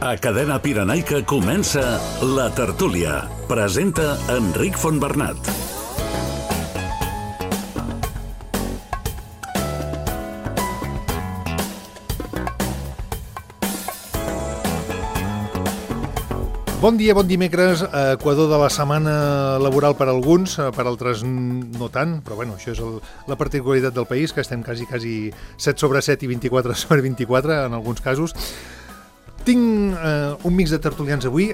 A Cadena Pirenaica comença La Tertúlia. Presenta Enric Fontbernat. Bon dia, bon dimecres, equador de la setmana laboral per alguns, per altres no tant, però bueno, això és la particularitat del país, que estem quasi 7 sobre 7 i 24 sobre 24 en alguns casos. Tinc un mix de tertulians avui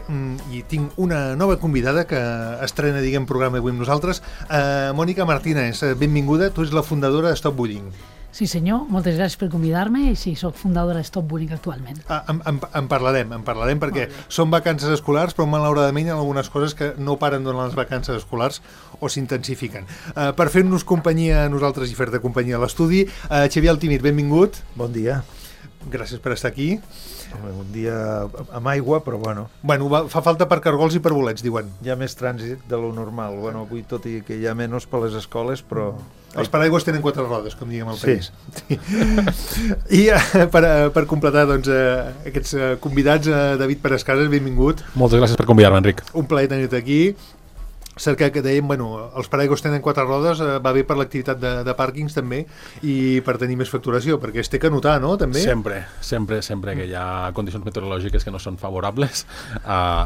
i tinc una nova convidada que estrena, programa avui amb nosaltres. Mònica Martínez, benvinguda, tu ets la fundadora de Stop Bullying. Sí senyor, moltes gràcies per convidar-me i sí, soc fundadora de Stop Bullying actualment. En parlarem perquè són vacances escolars, però malauradament hi ha algunes coses que no paren durant les vacances escolars o s'intensifiquen. Per fer-nos companyia a nosaltres i fer-te companyia a l'estudi, Xavier Altimir, benvingut. Bon dia. Gràcies per estar aquí. Un dia amb aigua, però bueno. Bueno, fa falta per cargols i per bolets, diuen. Hi ha més trànsit de lo normal. Bueno, avui tot i que hi ha menys per les escoles, però... Els paraigües tenen 4 rodes, com diguem al país. Sí. I per completar doncs, aquests convidats, David Perescases, benvingut. Moltes gràcies per convidar-me, Enric. Un plaer tenir-te aquí. Cert que dèiem, els paraigües tenen 4 rodes, va bé per l'activitat de pàrquings també i per tenir més facturació, perquè es té que notar, no? També? Sempre que hi ha condicions meteorològiques que no són favorables,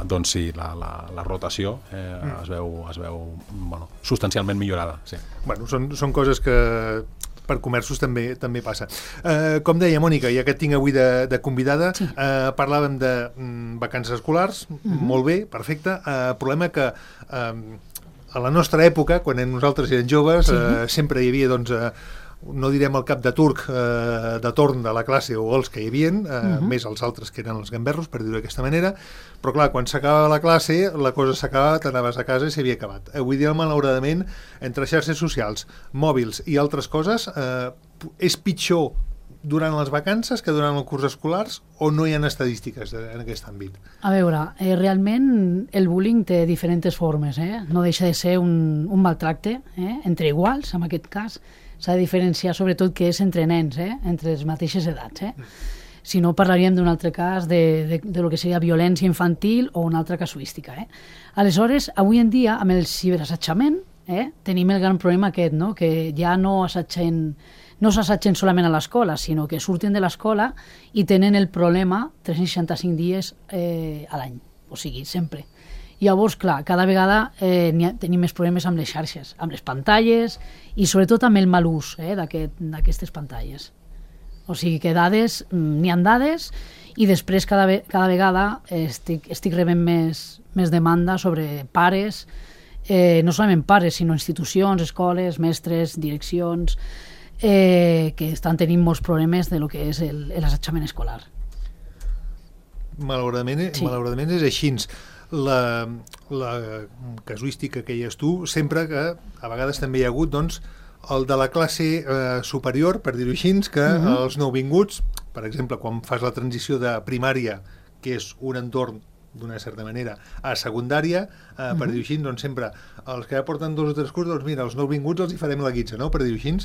doncs sí, la rotació es veu substancialment millorada. Sí. Bueno, són coses que per comerços també passa. Com deia Mònica, ja que et tinc avui de convidada, sí. Parlàvem de vacances escolars, molt bé, perfecte. Problema que a la nostra època, quan nosaltres érem joves, sempre hi havia, doncs, no direm el cap de turc de torn de la classe o els que hi havia, més els altres que eren els gamberros, per dir-ho d'aquesta manera, però clar, quan s'acabava la classe, la cosa s'acabava, t'anaves a casa i s'havia acabat. Avui dia, malauradament, entre xarxes socials, mòbils i altres coses, és pitjor durant les vacances que durant el curs escolars o no hi ha estadístiques en aquest àmbit? A veure, realment el bullying té diferents formes, no deixa de ser un maltracte entre iguals, en aquest cas. S'ha de diferenciar sobretot que és entre nens, entre les mateixes edats. Si no, parlaríem d'un altre cas de lo que seria violència infantil o una altra casuística. Aleshores, avui en dia, amb el ciberassetjament, tenim el gran problema aquest, no? Que ja no s'assetgen solament a l'escola, sinó que surten de l'escola i tenen el problema 365 dies a l'any, o sigui, sempre. Llavors, clar, cada vegada tenim més problemes amb les xarxes, amb les pantalles i sobretot amb el mal ús d'aquestes pantalles. O sigui que dades, n'hi ha dades i després cada vegada estic rebent més demanda sobre pares, no solament pares, sinó institucions, escoles, mestres, direccions, que estan tenint molts problemes de lo que és l'assetjament escolar. Malauradament és així. La casuística que hi has tu, sempre que a vegades també hi ha hagut doncs, el de la classe superior, per dir-ho així, que els nouvinguts, per exemple, quan fas la transició de primària, que és un entorn d'una certa manera, a secundària, per dir-ho així, doncs sempre els que ja porten 2 o 3 cursos, doncs mira, els nouvinguts els hi farem la guitza, no? Per dir-ho així.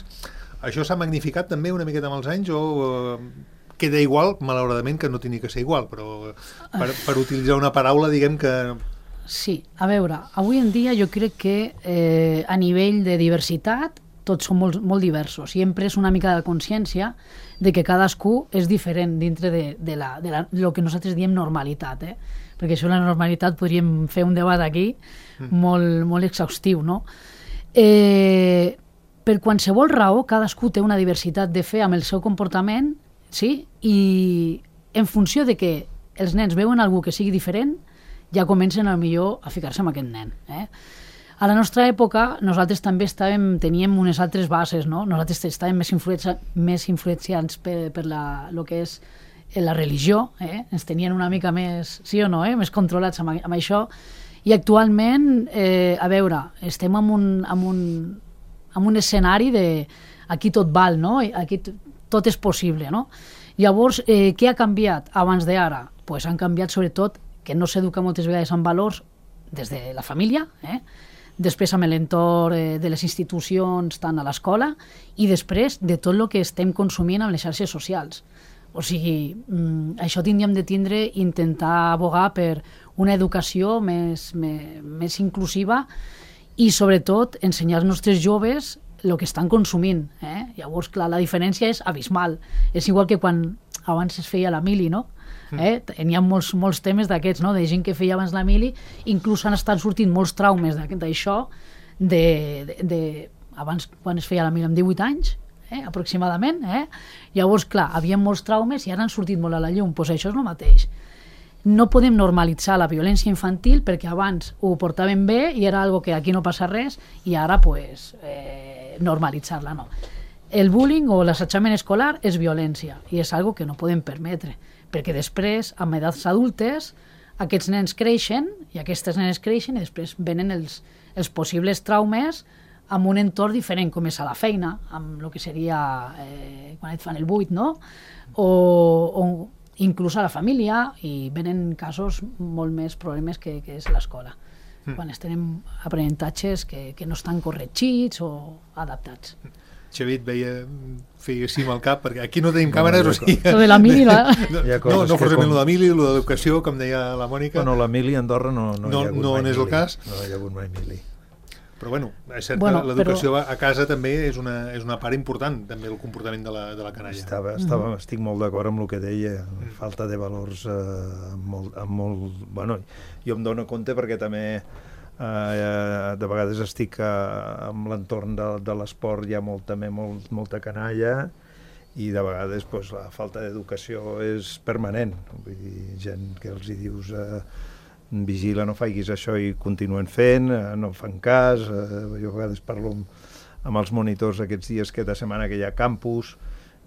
Això s'ha magnificat també una miqueta amb els anys o queda igual, malauradament, que no tenia que ser igual, però per utilitzar una paraula, diguem que... Sí, a veure, avui en dia jo crec que a nivell de diversitat tots som molt diversos. Sempre és una mica de consciència de que cadascú és diferent dintre de lo que nosaltres diem normalitat, perquè això la normalitat podríem fer un debat aquí molt exhaustiu, no? Per qualsevol raó, cadascú té una diversitat de fer amb el seu comportament, sí? I en funció de que els nens veuen algú que sigui diferent, ja comencen millor a ficar-se amb aquest nen. A la nostra època, nosaltres també teníem unes altres bases, no? Nosaltres estàvem més influenciats per lo que és la religió, ens tenien una mica més, sí o no, més controlats amb això, i actualment, a veure, estem en un escenari de aquí tot val, no? Aquí tot és possible, no? Llavors, què ha canviat abans d'ara? Pues han canviat sobretot que no s'educa moltes vegades en valors des de la família, després amb l'entorn de les institucions, tant a l'escola, i després de tot el que estem consumint amb les xarxes socials. O sigui, això tindríem de tindre, intentar abogar per una educació més inclusiva i, sobretot, ensenyar als nostres joves el que estan consumint. Llavors, clar, la diferència és abismal. És igual que quan abans es feia la mili, no? N'hi ha molts temes d'aquests, no? De gent que feia abans la mili, inclús han estat sortint molts traumes d'això, abans quan es feia la mili amb 18 anys, aproximadament. Llavors, clar, havia molts traumes i ara han sortit molt a la llum. Doncs això és el mateix. No podem normalitzar la violència infantil perquè abans ho portaven bé i era algo que aquí no passa res i ara pues, normalitzar-la no. El bullying o l'assetjament escolar és violència i és algo que no podem permetre perquè després, amb edats adultes, aquests nens creixen i aquestes nenes creixen i després venen els possibles traumes amb un entorn diferent, com és a la feina, amb el que seria quan et fan el buit, no? O inclús a la família, i venen casos molt més problemes que és l'escola, quan es tenen aprenentatges que no estan corregits o adaptats. Xavier feia així amb el cap, perquè aquí no tenim càmeres, o sigui... Lo de la mili, no forcément lo de mili, lo d'educació, com deia la Mònica. Bueno, la mili a Andorra no hi ha hagut mai mili. No és el cas. No hi ha hagut mai mili. Però bueno, és cert que l'educació a casa també és una part important, també el comportament de la canalla. Estic molt d'acord amb el que deia, falta de valors molt... Bueno, jo em dono compte perquè també de vegades estic amb l'entorn de l'esport, hi ha molta canalla i de vegades la falta d'educació és permanent. Vull dir, gent que els hi dius... vigila, no faiguis això i continuen fent, no fan cas. Jo a vegades parlo amb els monitors aquests dies que de setmana que hi ha campus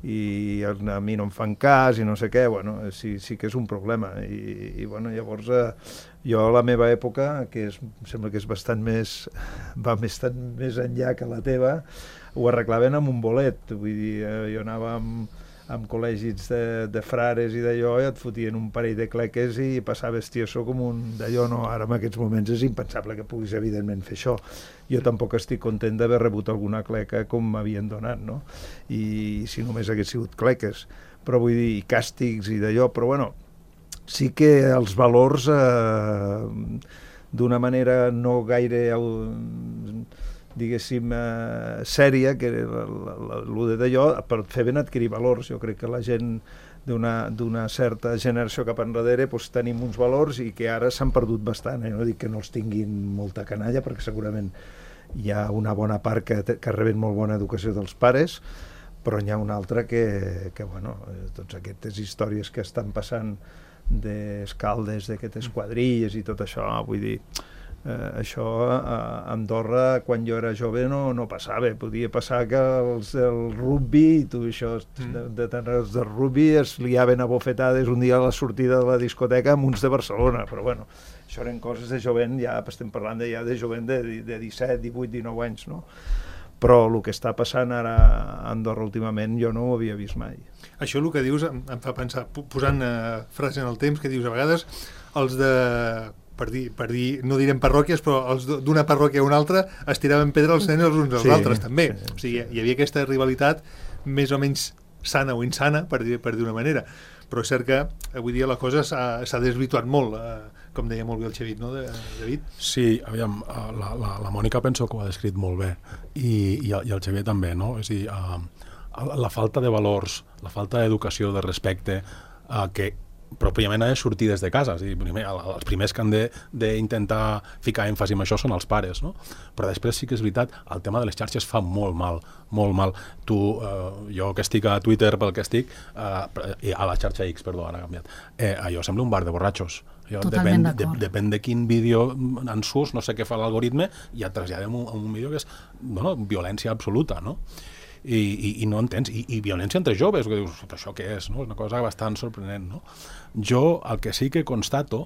i a mi no em fan cas i no sé què, bueno, sí que és un problema i bueno, llavors jo a la meva època, que sembla que és bastant més enllà que la teva, ho arreglaven amb un bolet, vull dir, jo anava amb col·legis de frares i d'allò, i et fotien un parell de cleques i passaves tieso com un d'allò. No, ara en aquests moments és impensable que puguis evidentment fer això. Jo tampoc estic content d'haver rebut alguna cleca com m'havien donat, no? I si només hagués sigut cleques, però vull dir, i càstigs i d'allò, però bueno, sí que els valors d'una manera no gaire diguéssim, sèria, que el d'allò, per fer ben adquirir valors. Jo crec que la gent d'una certa generació cap enrere tenim uns valors i que ara s'han perdut bastant. No dic que no els tinguin molta canalla, perquè segurament hi ha una bona part que reben molt bona educació dels pares, però n'hi ha una altra que bueno, tots aquestes històries que estan passant d'escaldes, d'aquestes quadrilles i tot això, vull dir, això a Andorra quan jo era jove no passava. Podia passar que el rugbi i tu això els del rugbi es liaven a bofetades un dia a la sortida de la discoteca amb uns de Barcelona, però bueno, això eren coses de jovent, ja estem parlant de jovent de 17, 18, 19 anys, no? Però el que està passant ara a Andorra últimament jo no ho havia vist mai. Això el que dius em fa pensar, posant frase en el temps, que dius a vegades els de... per dir, no direm parròquies, però els d'una parròquia a una altra es tiraven pedra als nens els uns als altres, també. O sigui, hi havia aquesta rivalitat més o menys sana o insana, per dir una manera. Però és cert que avui dia la cosa s'ha desvirtuat molt, com deia molt bé el Xavier, no, David? Sí, aviam, la Mònica penso que ho ha descrit molt bé, i el Xavier també, no? És a dir, la falta de valors, la falta d'educació, de respecte, que pròpiament ha de sortir des de casa. És a dir, els primers que han d'intentar ficar èmfasi en això són els pares, no? Però després sí que és veritat, el tema de les xarxes fa molt mal, molt mal. Jo que estic a Twitter pel que estic, a la xarxa X, perdó, ara ha canviat, allò sembla un bar de borratxos. Depèn de quin vídeo en surts, no sé què fa l'algoritme, i et traslladem un vídeo que és violència absoluta, no? I no entens, i violència entre joves, que dius, això què és, no? És una cosa bastant sorprenent, no? Jo el que sí que constato,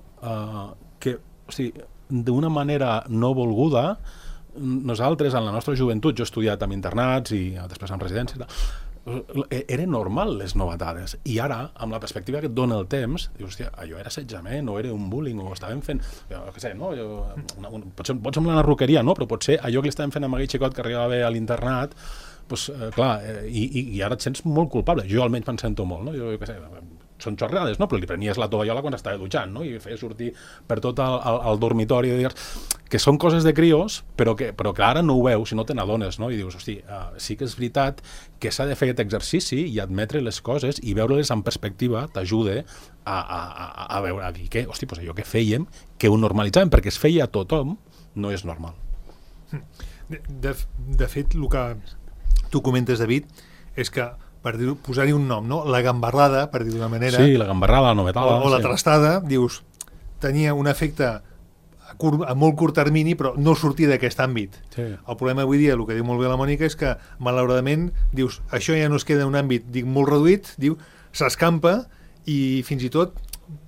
que, o sigui, d'una manera no volguda, nosaltres en la nostra joventut, jo he estudiat amb internats i després en residències, era normal les novetades, i ara, amb la perspectiva que et dona el temps, dius, hòstia, allò era assetjament, o era un bullying, o estàvem fent, què sé, no? Pot semblar una roqueria, no? Però potser allò que li estàvem fent amb aquell xicot que arribava a l'internat, clar, i ara et sents molt culpable. Jo almenys me'n sento molt, no? Jo què sé, són xorrades, no? Però li prenies la tovallola quan estava dutxant, no? I feia sortir per tot el dormitori de dies que són coses de crios, però que ara no ho veus i no te n'adones, no? I dius, hosti, sí que és veritat que s'ha de fer aquest exercici i admetre les coses i veure-les en perspectiva t'ajuda a veure, a dir que, hosti, doncs allò que fèiem, que ho normalitzàvem, perquè es feia a tothom, no és normal. De fet, el que tu comentes, David, és que per posar-hi un nom, no? La gambarrada, per dir d'una manera... Sí, la gambarrada, la novetada... O la trastada, dius, tenia un efecte a molt curt termini, però no sortir d'aquest àmbit. Sí. El problema avui dia, el que diu molt bé la Mònica, és que, malauradament, dius, això ja no es queda en un àmbit, dic, molt reduït, diu, s'escampa i fins i tot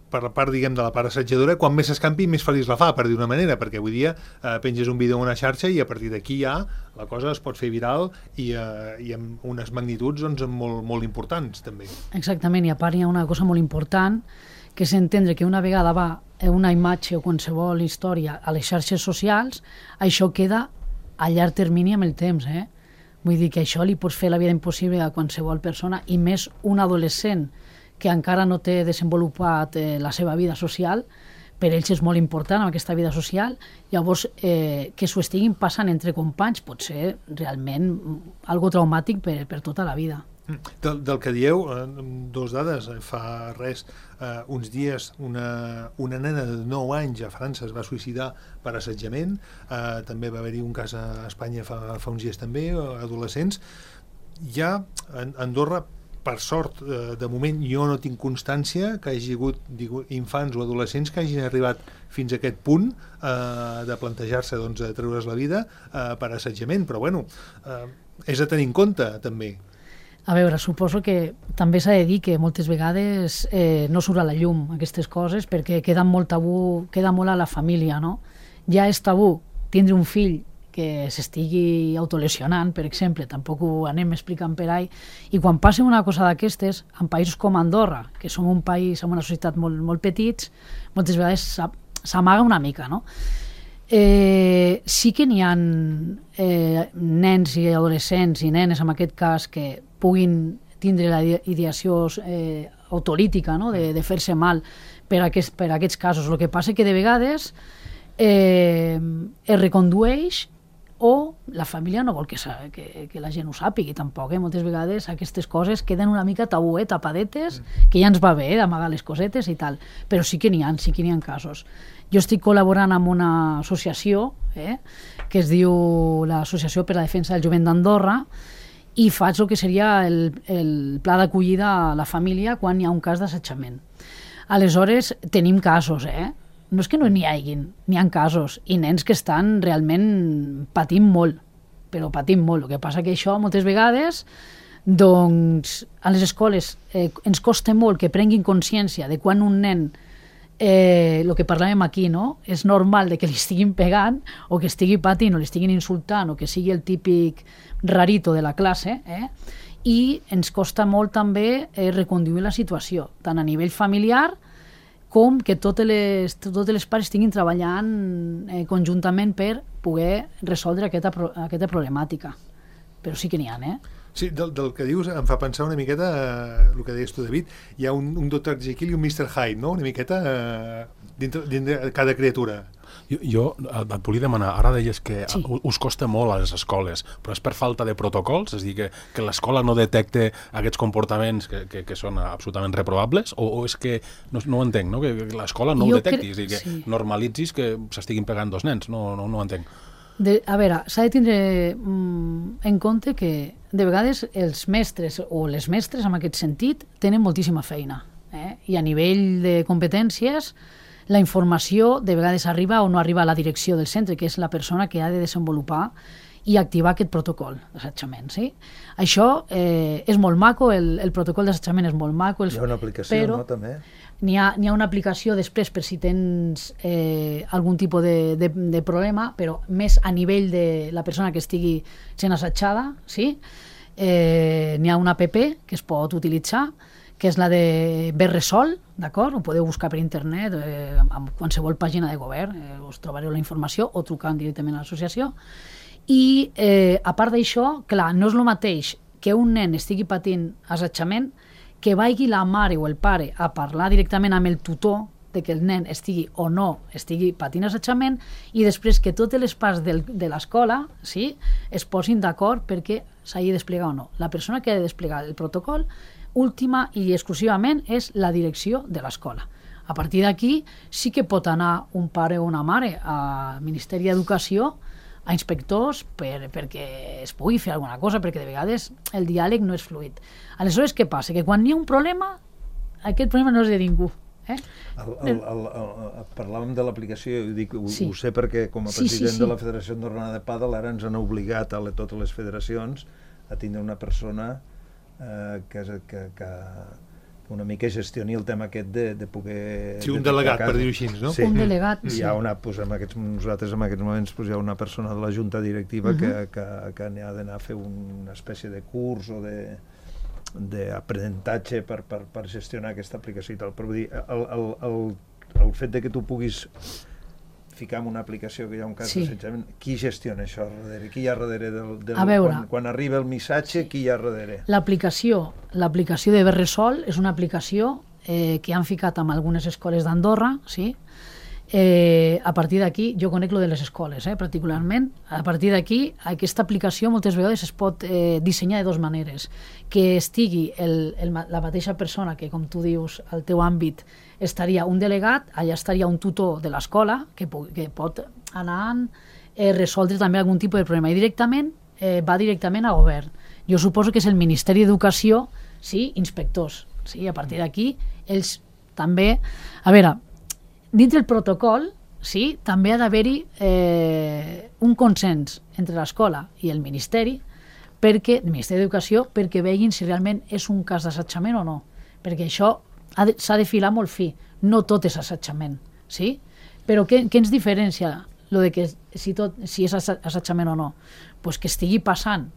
per la part, diguem, de la part assetjadora, quan més s'escampi, més feliç la fa, per dir una manera, perquè avui dia penges un vídeo en una xarxa i a partir d'aquí ja la cosa es pot fer viral i amb unes magnituds doncs, molt, molt importants, també. Exactament, i a part hi ha una cosa molt important, que és entendre que una vegada va una imatge o qualsevol història a les xarxes socials, això queda a llarg termini amb el temps, Vull dir que això li pots fer la vida impossible a qualsevol persona, i més un adolescent que encara no té desenvolupat la seva vida social, per ells és molt important aquesta vida social, llavors que s'ho estiguin passant entre companys pot ser realment algo traumàtic per tota la vida. Del que dieu, dos dades, fa res, uns dies una nena de 9 anys a França es va suïcidar per assetjament, també va haver-hi un cas a Espanya fa uns dies també, adolescents. Ja a Andorra, per sort, de moment jo no tinc constància que hagi hagut infants o adolescents que hagin arribat fins a aquest punt de plantejar-se de treure's la vida per assetjament, però bueno, és a tenir en compte també. A veure, suposo que també s'ha de dir que moltes vegades no surt a la llum aquestes coses perquè queda molt tabú, queda molt a la família, no? Ja és tabú tindre un fill que s'estigui autolesionant, per exemple, tampoc ho anem explicant per ahí, i quan passa una cosa d'aquestes, en països com Andorra, que som un país amb una societat molt, molt petits, moltes vegades s'amaga una mica, no? Sí que n'hi ha nens i adolescents i nenes, en aquest cas, que puguin tindre la ideació autolítica, no? de fer-se mal per aquests casos. El que passa que de vegades es recondueix o la família no vol que la gent ho sàpigui tampoc. Moltes vegades aquestes coses queden una mica tabú, tapadetes, que ja ens va bé d'amagar les cosetes i tal, però sí que n'hi ha casos. Jo estic col·laborant amb una associació que es diu l'Associació per a la Defensa del Jovent d'Andorra, i faig el que seria el pla d'acollida a la família quan hi ha un cas d'assetjament. Aleshores, tenim casos, no és que no n'hi haguin, n'hi ha casos, i nens que estan realment patint molt, però patint molt. El que passa que això, moltes vegades, doncs, a les escoles ens costa molt que prenguin consciència de quan un nen, el que parlàvem aquí, no? És normal de que li estiguin pegant, o que estigui patint, o li estiguin insultant, o que sigui el típic rarito de la classe, i ens costa molt també reconduir la situació, tant a nivell familiar com que totes les parts estiguin treballant conjuntament per poder resoldre aquesta problemàtica. Però sí que n'hi ha, Sí, del que dius em fa pensar una miqueta el que deies tu, David. Hi ha un Dr. Jekyll i un Mr. Hyde, no? Una miqueta dintre de cada criatura. Jo et volia demanar, ara deies que sí, us costa molt a les escoles, però és per falta de protocols? És a dir, que l'escola no detecte aquests comportaments que són absolutament reprobables? O és que, no ho entenc, no? Que l'escola no ho detecti, és a dir, que normalitzis que s'estiguin pegant dos nens, no ho entenc. A veure, s'ha de tindre en compte que de vegades els mestres o les mestres en aquest sentit tenen moltíssima feina, i a nivell de competències la informació de vegades arriba o no arriba a la direcció del centre, que és la persona que ha de desenvolupar i activar aquest protocol d'assetjament. Sí? Això és molt maco, el protocol d'assetjament és molt maco. Hi ha una aplicació, no, també? N'hi ha una aplicació després per si tens algun tipus de problema, però més a nivell de la persona que estigui sent assetjada. Sí? N'hi ha una app que es pot utilitzar, que és la de Berresol, d'acord? Ho podeu buscar per internet, amb qualsevol pàgina de govern, us trobareu la informació, o trucant directament a l'associació. I, a part d'això, clar, no és el mateix que un nen estigui patint assetjament, que vagi la mare o el pare a parlar directament amb el tutor de que el nen estigui o no estigui patint assetjament, i després que totes les parts de l'escola, sí, es posin d'acord perquè s'hagi de desplegar o no. La persona que ha de desplegar el protocol última i exclusivament és la direcció de l'escola. A partir d'aquí sí que pot anar un pare o una mare al Ministeri d'Educació, a inspectors, perquè es pugui fer alguna cosa, perquè de vegades el diàleg no és fluid. Aleshores, què passa? Que quan hi ha un problema, aquest problema no és de ningú. Parlàvem de l'aplicació, ho sé perquè com a president de la Federació Andorrana de Pàdel ara ens han obligat a totes les federacions a tindre una persona que una mica gestioni el tema aquest de poder... Sí, un delegat, per dir-ho així, no? Sí. Un delegat, sí. Hi ha nosaltres en aquests moments hi ha una persona de la junta directiva que n'ha d'anar a fer una espècie de curs o d'aprenentatge per gestionar aquesta aplicació i tal. Però vull dir, el fet de que tu puguis ficar en una aplicació que hi ha un cas d'assetjament, qui gestiona això darrere? Qui hi ha darrere quan arriba el missatge, qui hi ha darrere? L'aplicació de Berresol és una aplicació que han ficat en algunes escoles d'Andorra, sí? A partir d'aquí, jo conec lo de les escoles, particularment. A partir d'aquí, aquesta aplicació moltes vegades es pot dissenyar de dues maneres. Que estigui la mateixa persona que, com tu dius, al teu àmbit estaria un delegat, allà estaria un tutor de l'escola que pot anar a resoldre també algun tipus de problema. I directament va directament a govern. Jo suposo que és el Ministeri d'Educació, sí, inspectors. Sí, a partir d'aquí, ells també... A veure, dins del protocol, sí, també ha d'haver-hi un consens entre l'escola i el Ministeri, el Ministeri d'Educació, perquè vegin si realment és un cas d'assetjament o no. Perquè això s'ha de filar molt fi. No tot és assetjament, sí? Però què ens diferencia lo de que si és assetjament o no? Pues que estigui passant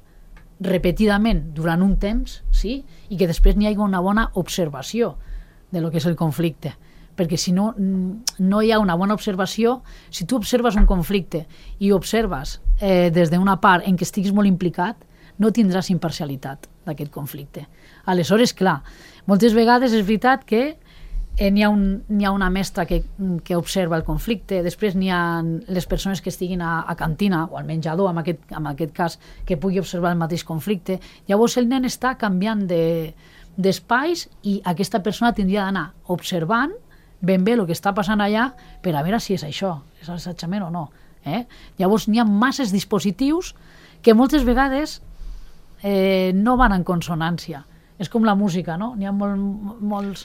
repetidament durant un temps, sí? I que després n'hi hagi una bona observació de lo que és el conflicte. Perquè si no hi ha una bona observació, si tu observes un conflicte i observes des d'una part en què estiguis molt implicat, no tindràs imparcialitat d'aquest conflicte. Aleshores, clar, moltes vegades és veritat que n'hi ha una mestra que observa el conflicte, després n'hi ha les persones que estiguin a cantina o al menjador, en aquest cas, que pugui observar el mateix conflicte. Llavors el nen està canviant d'espais i aquesta persona tindria d'anar observant ben bé el que està passant allà per a veure si és això, és assetjament o no. Llavors n'hi ha masses dispositius que moltes vegades no van en consonància. És com la música, no? N'hi ha molts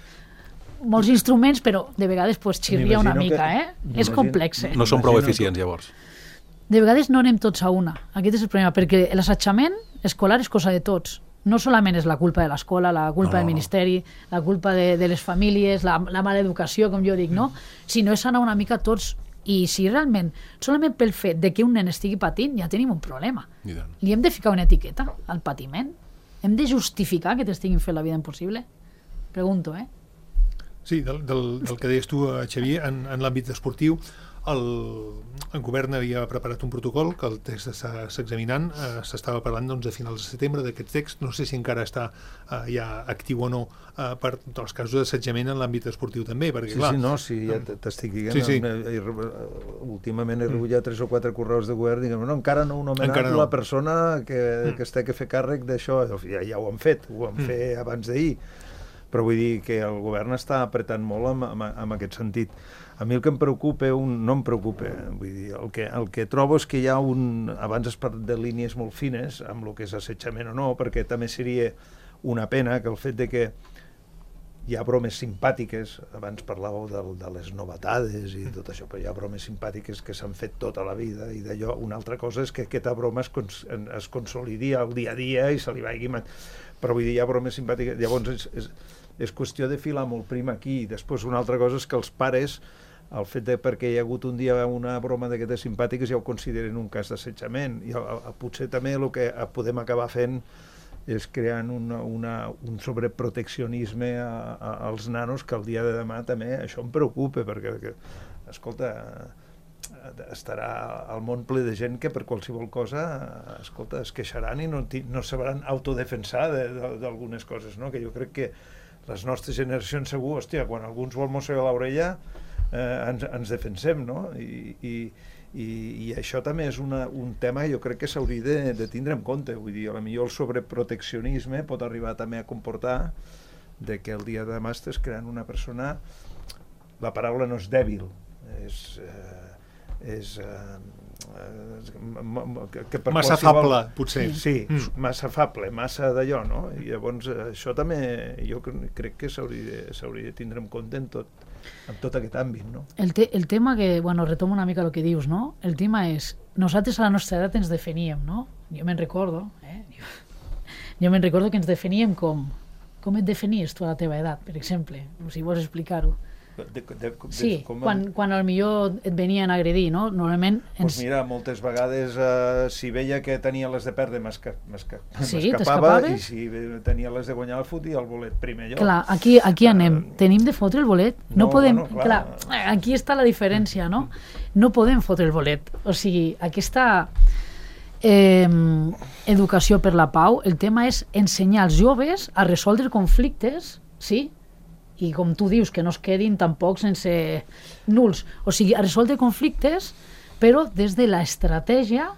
instruments, però de vegades xirria una mica, És complex. No són prou eficients, llavors. De vegades no anem tots a una. Aquest és el problema, perquè l'assetjament escolar és cosa de tots. No solament és la culpa de l'escola, la culpa del Ministeri, la culpa de les famílies, la mala educació, com jo dic, no? Sinó és anar una mica tots. I si realment, solament pel fet de que un nen estigui patint, ja tenim un problema. Li hem de ficar una etiqueta al patiment? Hem de justificar que t'estiguin fent la vida impossible? Pregunto, Sí, del que deies tu, Xavier, en l'àmbit esportiu, el govern havia preparat un protocol que el text està examinant, s'estava parlant de finals de setembre d'aquest text, no sé si encara està ja actiu o no per els casos d'assetjament en l'àmbit esportiu també, perquè clar... Sí, ja t'estic dient, últimament he rebut ja 3 o 4 correus de govern, diguem, encara no heu nomenat la persona que es té que fer càrrec d'això, ja ho han fet, abans d'ahir, però vull dir que el govern està apretant molt en aquest sentit. A mi el que em preocupa, no em preocupa, vull dir, el que trobo és que hi ha abans has parlat de línies molt fines amb el que és assetjament o no, perquè també seria una pena que el fet de que hi ha bromes simpàtiques, abans parlàveu de les novetades i tot això, però hi ha bromes simpàtiques que s'han fet tota la vida i d'allò, una altra cosa és que aquesta broma es consolidi al dia a dia i se li vagi... Però vull dir, hi ha bromes simpàtiques, llavors és qüestió de filar molt prim aquí. Després una altra cosa és que els pares, el fet de perquè hi ha hagut un dia una broma d'aquestes simpàtiques ja ho consideren un cas d'assetjament, i potser també el que podem acabar fent és creant un sobreproteccionisme als nanos que el dia de demà també això em preocupa, perquè escolta, estarà al món ple de gent que per qualsevol cosa, escolta, es queixaran i no sabran autodefensar d'algunes coses, no? Que jo crec que les nostres generacions segur, hòstia, quan algú ens vol mossegar l'orella ens defensem, no? I això també és un tema que jo crec que s'hauria de tindre en compte. Vull dir, potser el sobreproteccionisme pot arribar també a comportar de que el dia de demà estàs creant una persona, la paraula no és dèbil, massa afable, potser. Sí, massa afable, massa d'allò, no? I llavors això també jo crec que s'hauria de tindre en compte en tot aquest àmbit, no? El tema que, bueno, retomo una mica el que dius, no? El tema és, nosaltres a la nostra edat ens definíem, no? Jo me'n recordo, que ens definíem com et definies tu a la teva edat, per exemple, si vols explicar-ho. Sí, quan potser et venien a agredir, no? Normalment... Doncs mira, moltes vegades si veia que tenia les de perdre m'escapava, i si tenia les de guanyar el fotia el bolet primer lloc. Clar, aquí anem. Tenim de fotre el bolet? No podem... Bueno, clar, aquí està la diferència, no? No podem fotre el bolet. O sigui, aquesta educació per la pau, el tema és ensenyar als joves a resoldre conflictes, sí? I com tu dius, que no es quedin tampoc sense nuls. O sigui, a resoldre conflictes, però des de l'estratègia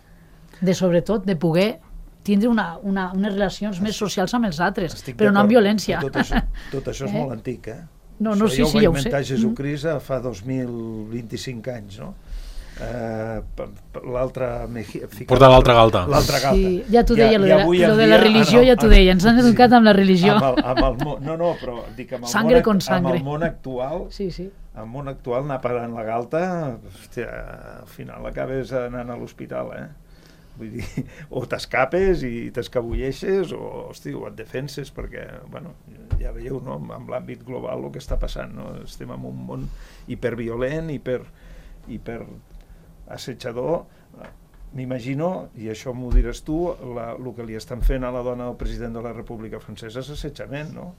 de, sobretot, de poder tindre unes relacions més socials amb els altres, però no amb violència. Tot això és molt antic, eh? No, sí, ja ho va ja ho sé. inventar Jesucrist fa 2025 anys, no? Portar l'altra galta. Sí, ja t'ho deia, lo de la religió ja t'ho deia, ens han educat amb la religió. No, però dic, amb el món actual, el món actual anar parant la galta, hòstia, al final acabes anant a l'hospital, Vull dir, o t'escapes i t'escabulleixes o et defenses, perquè, bueno, ja veieu, no?, amb l'àmbit global el que està passant, no? Estem en un món hiperviolent, hiper assetjador. M'imagino, i això m'ho diràs tu, el que li estan fent a la dona del president de la República Francesa és assetjament, no?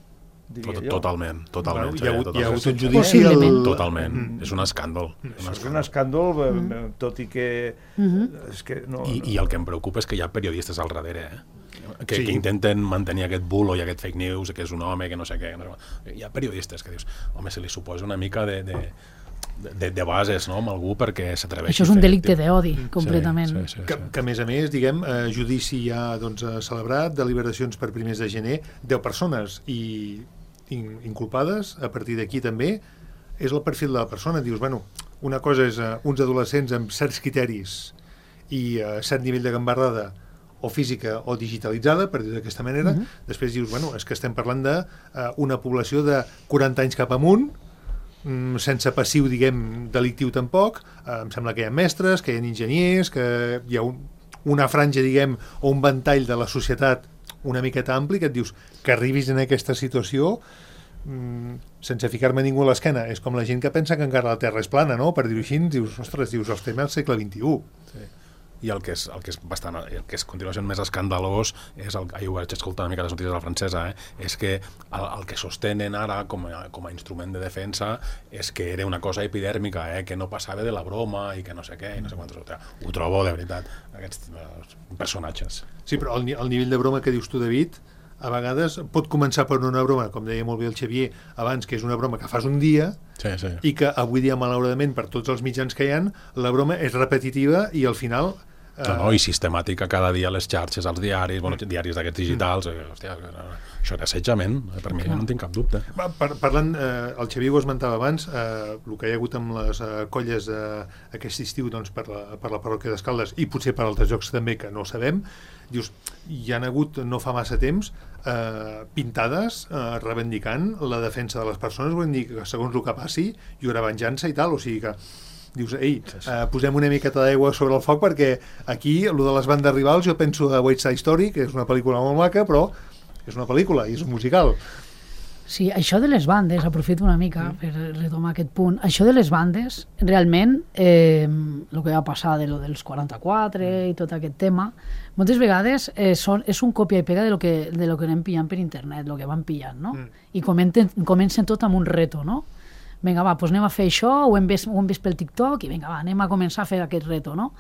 Totalment. Hi ha hagut un judici. Possiblement. Totalment. És un escàndol. És un escàndol, tot i que... I el que em preocupa és que hi ha periodistes al darrere, que intenten mantenir aquest bulo i aquest fake news, que és un home, que no sé què. Hi ha periodistes que dius, home, se li suposa una mica de bases, no?, amb algú perquè s'atreveixi. Això és un delicte d'odi, completament. Que a més, diguem, judici ja celebrat, deliberacions per primers de gener, 10 persones i inculpades, a partir d'aquí també és el perfil de la persona. Dius, bueno, una cosa és uns adolescents amb certs criteris i cert nivell de gambardada o física o digitalitzada, per dir d'aquesta manera. Després dius, bueno, és que estem parlant d'una població de 40 anys cap amunt, sense passiu, diguem, delictiu tampoc. Em sembla que hi ha mestres, que hi ha enginyers, que hi ha una franja, diguem, o un ventall de la societat una miqueta ampli, que et dius que arribis en aquesta situació sense ficar-me ningú a l'esquena. És com la gent que pensa que encara la Terra és plana, no? Per dir-ho així, dius, ostres, estem al segle XXI. I el que és continua sent més escandalós és, jo vaig escoltar una mica les notícies de la francesa, és que el que sostenen ara com a instrument de defensa és que era una cosa epidèrmica, que no passava de la broma i que no sé què, i no sé quantes. Ho trobo, de veritat, aquests personatges. Sí, però el nivell de broma que dius tu, David, a vegades pot començar per una broma, com deia molt bé el Xavier abans, que és una broma que fas un dia, i que avui dia, malauradament, per tots els mitjans que hi ha, la broma és repetitiva i al final... i sistemàtica cada dia a les xarxes, als diaris, diaris d'aquests digitals, hòstia, això és assetjament, per mi no en tinc cap dubte. Parlant, el Xavier ho esmentava abans, el que hi ha hagut amb les colles aquest estiu per la parròquia d'Escaldes i potser per altres llocs també que no sabem, dius, hi ha hagut no fa massa temps pintades reivindicant la defensa de les persones, vull dir que segons el que passi hi haurà venjança i tal, o sigui que dius, posem una miqueta d'aigua sobre el foc perquè aquí, el de les bandes rivals, jo penso a West Side Story, que és una pel·lícula molt maca, però és una pel·lícula i és un musical. Sí, això de les bandes, aprofito una mica per retomar aquest punt, això de les bandes, realment, el que va passar de lo dels 44 i tot aquest tema, moltes vegades és un còpia i pega de lo que anem pillant per internet, el que van pillant, no? I comencen tot amb un reto, no? vinga, va, doncs anem a fer això, ho hem vist pel TikTok, i vinga, va, anem a començar a fer aquest reto, no?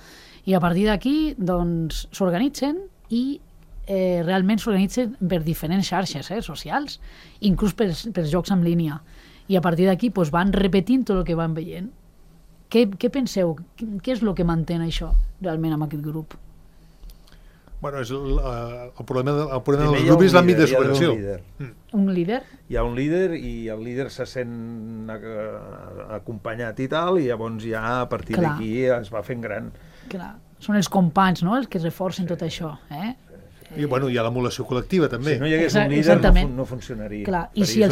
I a partir d'aquí, doncs, s'organitzen i realment s'organitzen per diferents xarxes socials, inclús pels jocs en línia. I a partir d'aquí doncs, van repetint tot el que van veient. Què penseu? Què és el que mantén això realment amb aquest grup? Bueno, el problema dels grups és l'àmbit de superació. Un líder? Hi ha un líder i el líder se sent acompanyat i tal, i llavors ja a partir d'aquí es va fent gran. Clar, són els companys, no?, els que reforcen tot això, I hi ha l'emulació col·lectiva, també. Si no hi hagués un líder no funcionaria. Clar, i si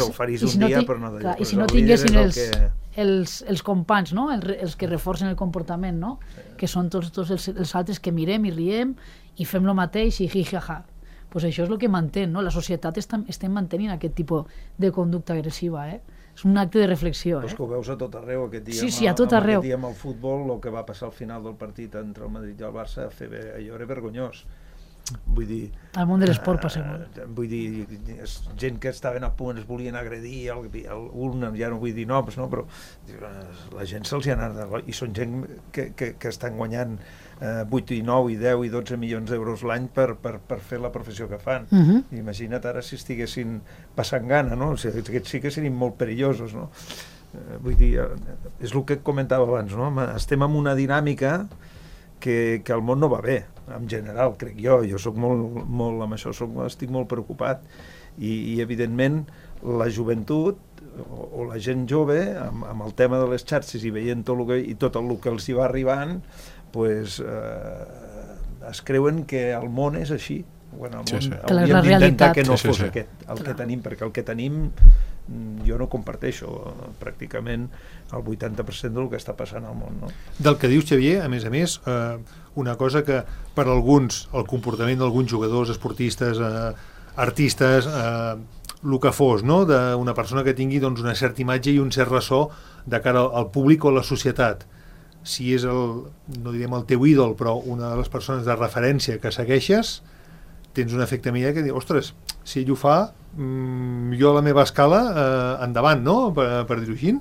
no tinguessin els companys, no?, els que reforcen el comportament, no?, que són tots els altres que mirem i riem i fem el mateix i hi-ha-ha. Doncs això és el que manté, no? La societat estem mantenint aquest tipus de conducta agressiva, És un acte de reflexió. Però és que ho veus a tot arreu aquest dia. Sí, a tot arreu. Aquest dia amb el futbol, el que va passar al final del partit entre el Madrid i el Barça, allò era vergonyós. Vull dir... Al món de l'esport passa molt. Vull dir, gent que estaven a punt, es volien agredir, ja no vull dir noms, no? Però la gent se'ls hi ha anat... I són gent que estan guanyant 8 i 9 i 10 i 12 milions d'euros l'any per fer la professió que fan. Imagina't ara si estiguessin passant gana, no? O sigui, aquests sí que serien molt perillosos, no? Vull dir, és el que comentava abans, no? Estem en una dinàmica que el món no va bé, en general, crec jo soc molt amb això, estic molt preocupat i evidentment la joventut o la gent jove amb el tema de les xarxes i veient tot el que els hi va arribant, pues, es creuen que el món és així. Bueno, hauríem d'intentar que no fos aquest el que tenim, perquè el que tenim jo no comparteixo pràcticament el 80% del que està passant al món, no? Del que dius, Xavier, a més, una cosa que per alguns, el comportament d'alguns jugadors, esportistes, artistes, el que fos, no?, d'una persona que tingui una certa imatge i un cert ressò de cara al públic o a la societat. Si és no direm el teu ídol, però una de les persones de referència que segueixes, tens un efecte immediat que dius, ostres, si ell ho fa, jo a la meva escala, endavant, no?, per dir-ho així.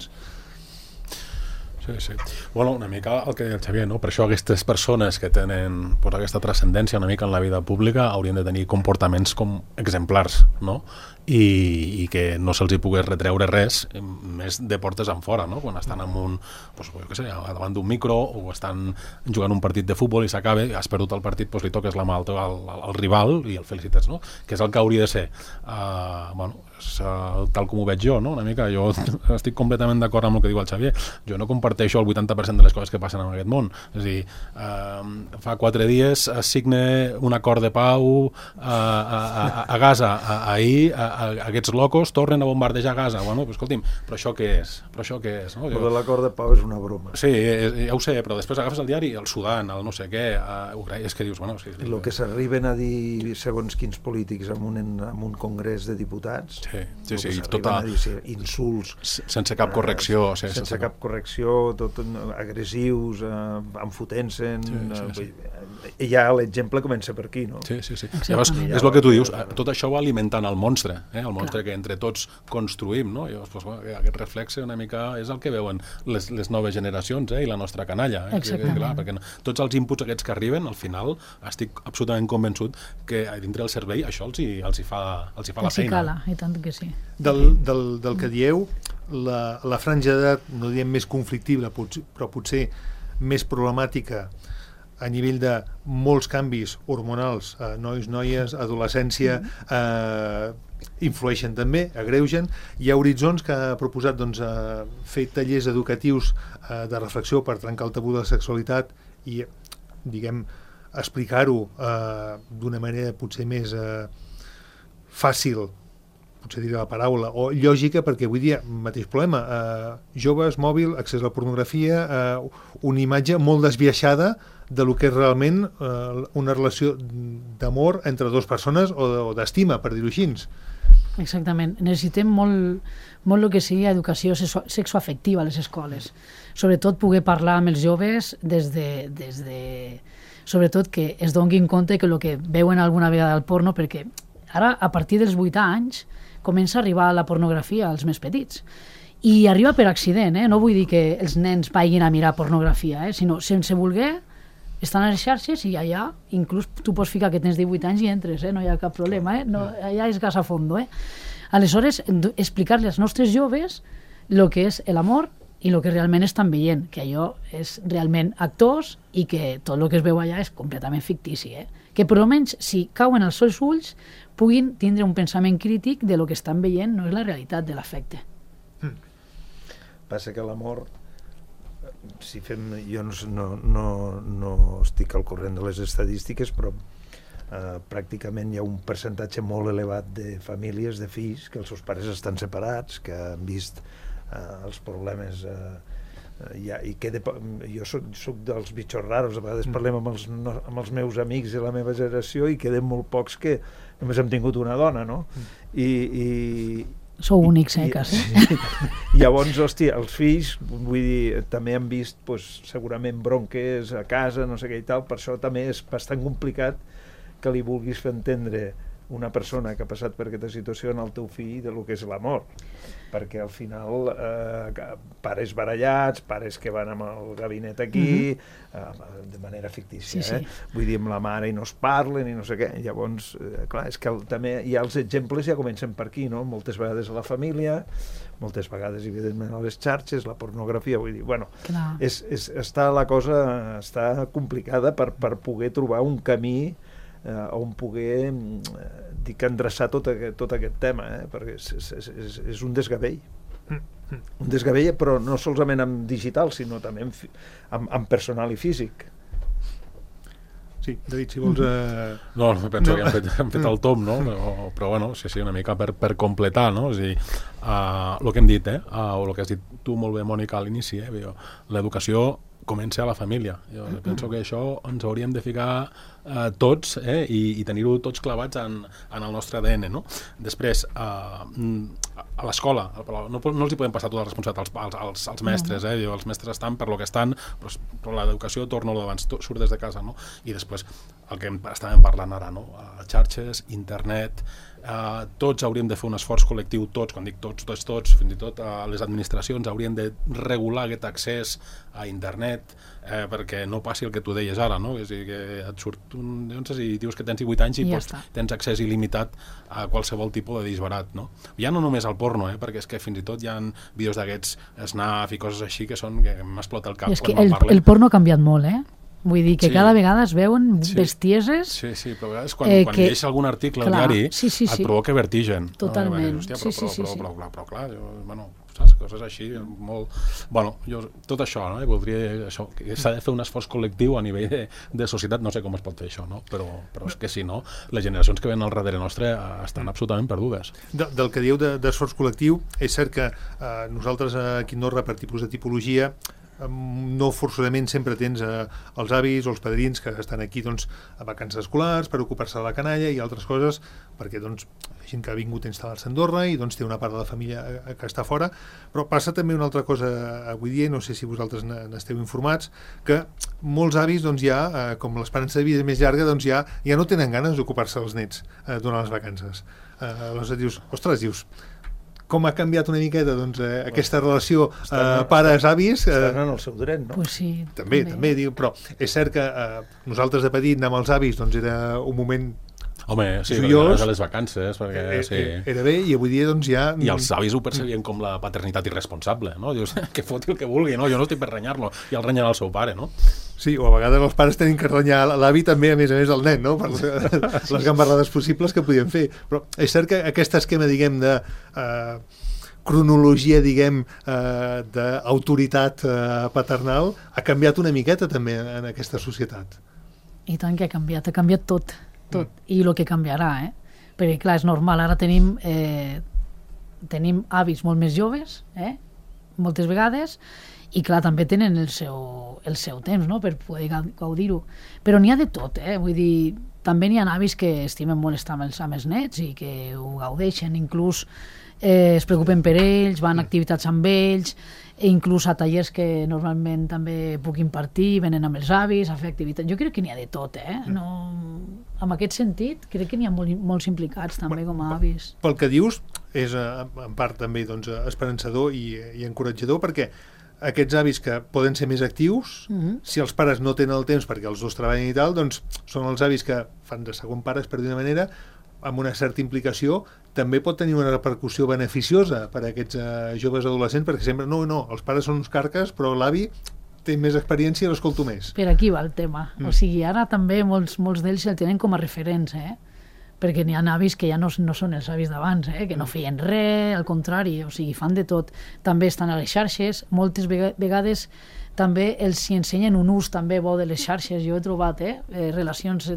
Sí. Bueno, una mica el que deia el Xavier, no? Per això aquestes persones que tenen aquesta transcendència una mica en la vida pública haurien de tenir comportaments com exemplars, no? I que no se'ls hi pogués retreure res més de portes en fora, no? Quan estan davant d'un micro o estan jugant un partit de futbol i s'acaba, has perdut el partit, li toques la mà al rival i el felicites, no? Que és el que hauria de ser. Tal com ho veig jo, no? Una mica, jo estic completament d'acord amb el que diu el Xavier. Jo no comparteixo el 80% de les coses que passen en aquest món. És a dir, fa 4 dies es signa un acord de pau a Gaza. Ahir aquests locos tornen a bombardejar Gaza. Bueno, però escolti'm, però això què és? No? Però l'acord de pau és una broma. Sí, ja ho sé, però després agafes el diari, el Sudan, el no sé què, és que dius, bueno... Sí, el que s'arriben a dir segons quins polítics en un congrés de diputats, insults... Sense cap correcció. Sense cap correcció, tot agressius, enfotent-se... I ja l'exemple comença per aquí, no? Sí. Llavors, és el que tu dius, tot això va alimentant el monstre, el monstre que entre tots construïm, no? Llavors, aquest reflexe una mica és el que veuen les noves generacions i la nostra canalla. Clar, perquè tots els inputs aquests que arriben, al final, estic absolutament convençut que dintre del cervell això els hi fa la feina. Els hi cala, i tant que sí. Del que dieu, la franja d'edat, no diem més conflictiva, però potser més problemàtica a nivell de molts canvis hormonals, nois, noies, adolescència, influeixen també, agreugen. Hi ha Horitzons que ha proposat fer tallers educatius de reflexió per trencar el tabú de la sexualitat i, explicar-ho d'una manera potser més fàcil, potser diré la paraula, o lògica, perquè avui dia, mateix problema, joves, mòbil, accés a la pornografia, una imatge molt desviaixada de lo que és realment una relació d'amor entre dues persones o d'estima, per dir-ho així. Exactament. Necessitem molt el que sigui educació sexoafectiva a les escoles. Sobretot poder parlar amb els joves sobretot que es donguin compte que el que veuen alguna vegada al porno, perquè ara, a partir dels 8 anys, comença a arribar la pornografia als més petits. I arriba per accident, no vull dir que els nens vagin a mirar pornografia, sinó sense voler, estan a les xarxes i allà inclús tu pots ficar que tens 18 anys i entres, no hi ha cap problema, no, allà és gas a fondo. Aleshores, explicar-li als nostres joves el que és l'amor i el que realment estan veient, que allò és realment actors i que tot el que es veu allà és completament fictici. Que per almenys, si cauen els seus ulls, puguin tindre un pensament crític de lo que estan veient, no és la realitat de l'afecte. Passa que l'amor, si fem, jo no estic al corrent de les estadístiques, però pràcticament hi ha un percentatge molt elevat de famílies, de fills, que els seus pares estan separats, que han vist els problemes i jo soc dels bitxos raros, a vegades parlem amb els meus amics de la meva generació i queden molt pocs que només hem tingut una dona, no? Sou únics, quasi. Llavors, hòstia, els fills, vull dir, també han vist segurament bronques a casa, no sé què i tal, per això també és bastant complicat que li vulguis fer entendre una persona que ha passat per aquesta situació en el teu fill de lo que és l'amor, perquè al final pares barallats, pares que van amb el gabinet aquí de manera fictícia, vull dir, amb la mare i no es parlen i no sé què, llavors clar, és que també hi ha els exemples, ja comencen per aquí, no? Moltes vegades a la família, moltes vegades evidentment a les xarxes, la pornografia, vull dir, bueno, la cosa està complicada per poder trobar un camí on poder endreçar tot aquest tema, perquè és un desgavell. Un desgavell, però no solament en digital, sinó també en personal i físic. Sí, David, si vols... No, penso que hem fet el tom, no? Però bueno, sí, una mica per completar, no? És a dir, el que hem dit, o el que has dit tu molt bé, Mònica, a l'inici, l'educació comença a la família. Jo penso que això ens hauríem de ficar tots i tenir-ho tots clavats en el nostre ADN, no? Després, a l'escola, no els hi podem passar tota la responsabilitat als mestres, els mestres estan per lo que estan, però l'educació, torno d'abans, surt des de casa, no? I després, el que estàvem parlant ara, no? Xarxes, internet, tots hauríem de fer un esforç col·lectiu, quan dic tots, fins i tot les administracions haurien de regular aquest accés a internet perquè no passi el que tu deies ara, no? És a dir, que et surt i dius que tens 18 anys i tens accés il·limitat a qualsevol tipus de disbarat, no? Ja no només al porno, perquè és que fins i tot hi ha vídeos d'aquests Snap i coses així que m'explota el cap. És que el porno ha canviat molt, Vull dir que cada vegada es veuen bestieses... Sí, però a vegades quan llegeix algun article al diari et provoca vertigen. Totalment. Però clar, saps? Coses així, molt... Bueno, jo tot això, voldria que s'ha de fer un esforç col·lectiu a nivell de societat, no sé com es pot fer això, però és que si no, les generacions que venen al darrere nostre estan absolutament perdudes. Del que dieu d'esforç col·lectiu, és cert que nosaltres aquí a Andorra, per tipus de tipologia, no forçosament sempre tens els avis o els padrins que estan aquí a vacances escolars per ocupar-se de la canalla i altres coses, perquè gent que ha vingut a instal·lar-se a Andorra i té una part de la família que està fora, però passa també una altra cosa avui dia, no sé si vosaltres n'esteu informats, que molts avis ja, com l'esperança de vida és més llarga, ja no tenen ganes d'ocupar-se dels nets durant les vacances. Aleshores dius, com ha canviat una miqueta aquesta relació pares-avis? Estan en el seu dret, no? Pues sí, també, però és cert que nosaltres de petit anar amb els avis era un moment joiós, a les vacances, perquè era bé, i avui dia ja... I els avis ho percebien com la paternitat irresponsable, no? Dius, que foti el que vulgui, no? Jo no estic per renyar-lo, i el renyen al seu pare, no? Sí, o a vegades els pares tenen que renyar l'avi també, a més del nen, no? Per les gambarrades possibles que podien fer. Però és cert que aquest esquema, diguem, de cronologia, diguem, d'autoritat paternal ha canviat una miqueta també en aquesta societat. I tant que ha canviat tot. I el que canviarà, perquè clar, és normal, ara tenim avis molt més joves, moltes vegades, i clar, també tenen el seu temps, no?, per poder gaudir-ho, però n'hi ha de tot, vull dir, també n'hi ha avis que estimen molt estar amb els nets i que ho gaudeixen, inclús es preocupen per ells, van a activitats amb ells, inclús a tallers que normalment també puc impartir, venen amb els avis a fer activitats. Jo crec que n'hi ha de tot, no... en aquest sentit, crec que n'hi ha molts implicats també com a avis. Pel que dius, és en part també doncs, esperançador i encoratjador, perquè aquests avis que poden ser més actius, si els pares no tenen el temps perquè els dos treballen i tal, doncs són els avis que fan de segon pares, per d'una manera, amb una certa implicació, també pot tenir una repercussió beneficiosa per a aquests joves adolescents, perquè sempre, no, els pares són uns carques, però l'avi té més experiència i l'escolto més. Per aquí va el tema. O sigui, ara també molts d'ells el tenen com a referents, perquè n'hi ha avis que ja no són els avis d'abans, que no feien res, al contrari, o sigui, fan de tot. També estan a les xarxes, moltes vegades també els hi ensenyen un ús també bo de les xarxes. Jo he trobat relacions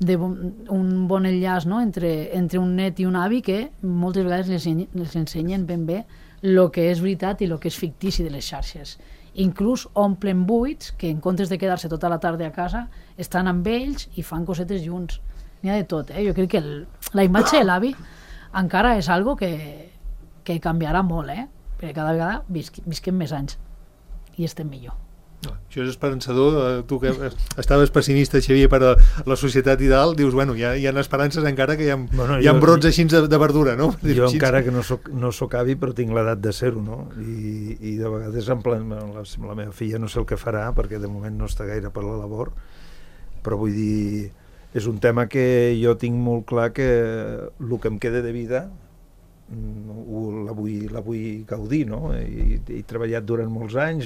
un bon enllaç, no? entre un net i un avi que moltes vegades les ensenyen ben bé el que és veritat i el que és fictici de les xarxes. Inclús omplen buits que en comptes de quedar-se tota la tarda a casa estan amb ells i fan cosetes junts. N'hi ha de tot. Jo crec que la imatge de l'avi encara és algo que canviarà molt, perquè cada vegada visquem més anys i estem millor. Això és esperançador. Tu que estaves pessimista, Xavier, per a la societat i dalt, dius, bueno, hi ha esperances encara que hi ha brots així de verdura, no? Jo encara que no soc avi, però tinc l'edat de ser-ho, no? I de vegades la meva filla no sé el que farà, perquè de moment no està gaire per la labor, però vull dir, és un tema que jo tinc molt clar que el que em queda de vida la vull gaudir, no? He treballat durant molts anys,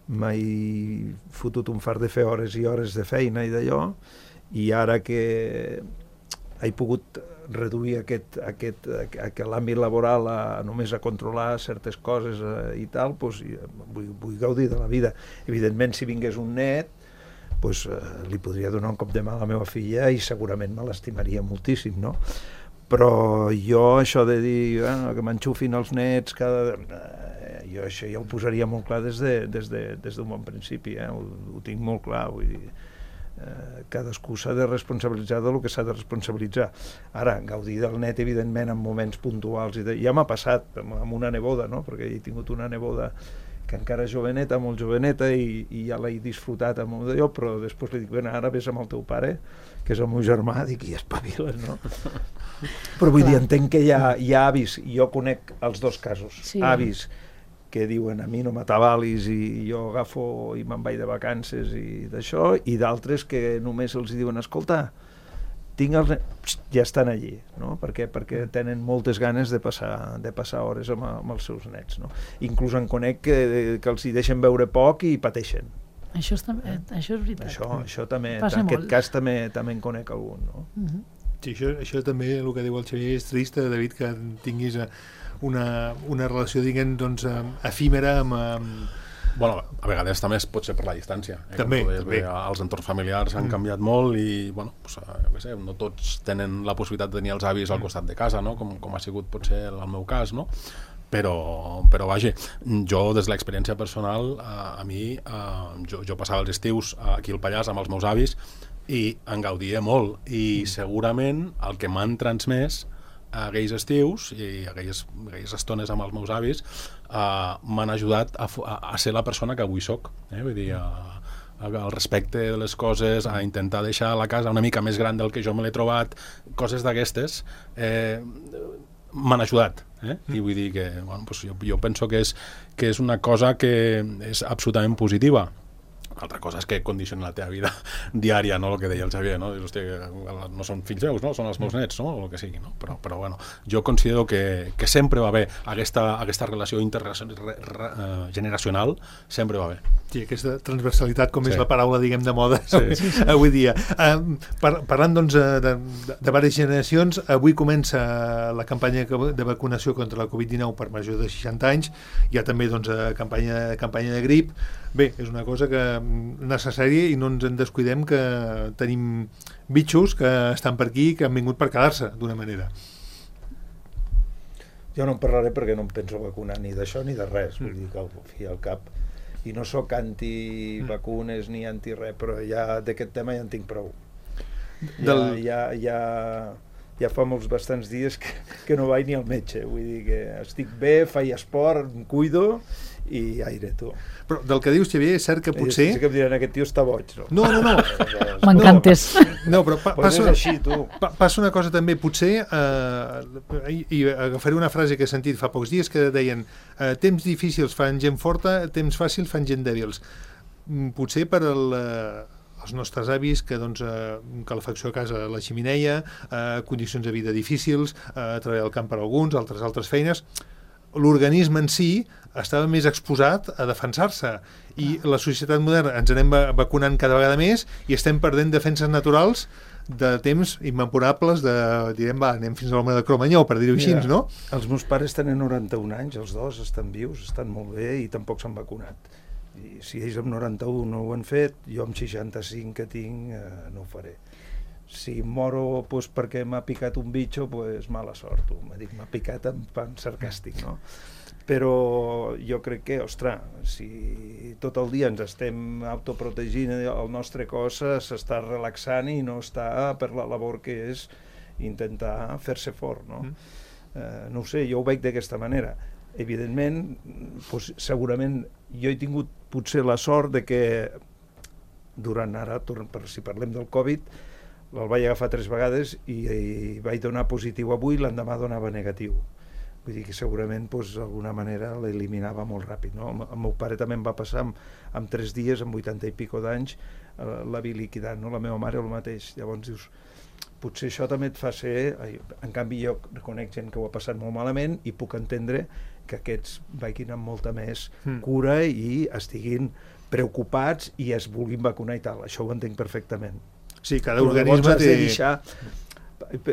m'he fotut un fart de fer hores i hores de feina i d'allò, i ara que he pogut reduir l'àmbit laboral només a controlar certes coses i tal, doncs vull gaudir de la vida. Evidentment, si vingués un net, doncs li podria donar un cop de mà a la meva filla i segurament me l'estimaria moltíssim, no? Però jo això de dir que m'enxufin els nets jo això ja ho posaria molt clar des d'un bon principi, ho tinc molt clar, vull dir, cadascú s'ha de responsabilitzar del que s'ha de responsabilitzar. Ara, gaudir del net, evidentment, en moments puntuals, ja m'ha passat amb una neboda, no? Perquè he tingut una neboda que encara és joveneta, molt joveneta, i ja l'he disfrutat amb d'allò, però després li dic, bueno, ara vés amb el teu pare, que és el meu germà, dic, i espaviles, no? Però vull dir, entenc que hi ha avis, jo conec els dos casos, avis que diuen a mi no m'atabalis i jo agafo i me'n vaig de vacances i d'això, i d'altres que només els diuen, escolta, ja estan allí, no? Perquè tenen moltes ganes de passar hores amb els seus nets, no? Inclús en conec que els hi deixen veure poc i pateixen. Això és veritat. Això també, en aquest cas també en conec algun, no? Sí, això també, el que diu el Xavier, és trist, David, que tinguis una relació, diguem, doncs, efímera amb... Bueno, a vegades també pot ser per la distància. També. Els entorns familiars han canviat molt i, bueno, jo què sé, no tots tenen la possibilitat de tenir els avis al costat de casa, no? Com ha sigut potser el meu cas, no? Però vaja, jo des de l'experiència personal, a mi, jo passava els estius aquí al Pallars amb els meus avis i en gaudia molt, i segurament el que m'han transmès aquells estius i aquelles estones amb els meus avis m'han ajudat a ser la persona que avui soc, vull dir, al respecte de les coses, a intentar deixar la casa una mica més gran del que jo me l'he trobat, coses d'aquestes m'han ajudat, i vull dir que jo penso que és una cosa que és absolutament positiva. Altra cosa és que condiciona la teva vida diària, no? El que deia el Xavier, no? Dius, hòstia, no són fills meus, no? Són els meus nets, no? O el que sigui, no? Però bueno, jo considero que sempre va bé aquesta relació intergeneracional, sempre va bé. Sí, aquesta transversalitat, com és la paraula, diguem, de moda avui dia. Parlant, doncs, de diverses generacions, avui comença la campanya de vacunació contra la Covid-19 per majors de 60 anys. Hi ha també, doncs, campanya de grip. Bé, és una cosa necessària i no ens en descuidem, que tenim bitxos que estan per aquí, que han vingut per quedar-se, d'una manera. Jo no en parlaré perquè no em penso vacunar ni d'això ni de res, vull dir que al fi al cap, i no sóc anti-vacunes ni anti-res, però ja d'aquest tema ja en tinc prou. ja fa bastants dies que no vaig ni al metge. Vull dir que estic bé, faig esport, em cuido i aire, tu. Però del que dius, Xavier, és cert que potser... Sí que em diran, aquest tio està boig, no? No. M'encantes. No, però Pues és així, tu. passa una cosa també, potser, i agafaré una frase que he sentit fa pocs dies que deien temps difícils fan gent forta, temps fàcils fan gent dèbils. Potser per els nostres avis, que calefacció a casa a la ximineia, condicions de vida difícils, treballar al camp per alguns, altres feines, l'organisme en si estava més exposat a defensar-se i la societat moderna ens anem vacunant cada vegada més i estem perdent defenses naturals de temps immemorables anem fins a l'home de Cromanyó, per dir-ho així, no? Els meus pares tenen 91 anys, els dos estan vius, estan molt bé i tampoc s'han vacunat. I si ells amb 91 no ho han fet, jo amb 65 que tinc no ho faré. Si moro perquè m'ha picat un bitxo, mala sort. M'ha picat en plan sarcàstic, no? Però jo crec que, ostres, si tot el dia ens estem autoprotegint, el nostre cos s'està relaxant i no està per la labor que és intentar fer-se fort, no? No ho sé, jo ho veig d'aquesta manera. Evidentment, segurament jo he tingut potser la sort de que durant ara, si parlem del Covid, el vaig agafar 3 vegades i vaig donar positiu avui, l'endemà donava negatiu. Vull dir que segurament d'alguna manera l'eliminava molt ràpid, no? El meu pare també em va passar en 3 dies, amb 80 i pico d'anys, la vi liquidant, no? La meva mare el mateix. Llavors dius, potser això també et fa ser... En canvi jo reconec gent que ho ha passat molt malament i puc entendre que aquests vagin amb molta més cura i estiguin preocupats i es vulguin vacunar i tal. Això ho entenc perfectament. Sí, cada organisme té...